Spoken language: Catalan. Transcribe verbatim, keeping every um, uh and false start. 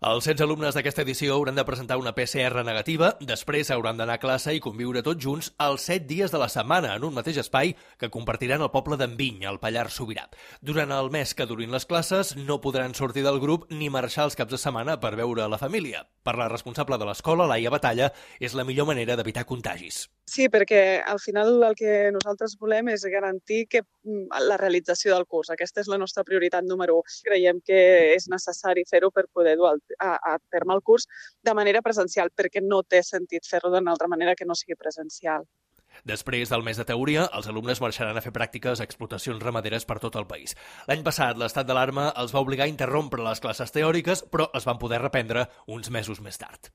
Els setze alumnes d'aquesta edició hauran de presentar una P C R negativa, després hauran d'anar a classe i conviure tots junts els set dies de la setmana en un mateix espai que compartiran el poble d'Enviny, al Pallars Sobirà. Durant el mes que durin les classes no podran sortir del grup ni marxar els caps de setmana per veure la família. Per la responsable de l'escola, Laia Batalla, és la millor manera d'evitar contagis. Sí, perquè al final el que nosaltres volem és garantir que la realització del curs. Aquesta és la nostra prioritat número u. Creiem que és necessari fer-ho per poder dur a, a terme el curs de manera presencial, perquè no té sentit fer-ho d'una altra manera que no sigui presencial. Després del mes de teoria, els alumnes marxaran a fer pràctiques a explotacions ramaderes per tot el país. L'any passat, l'estat d'alarma els va obligar a interrompre les classes teòriques, però es van poder reprendre uns mesos més tard.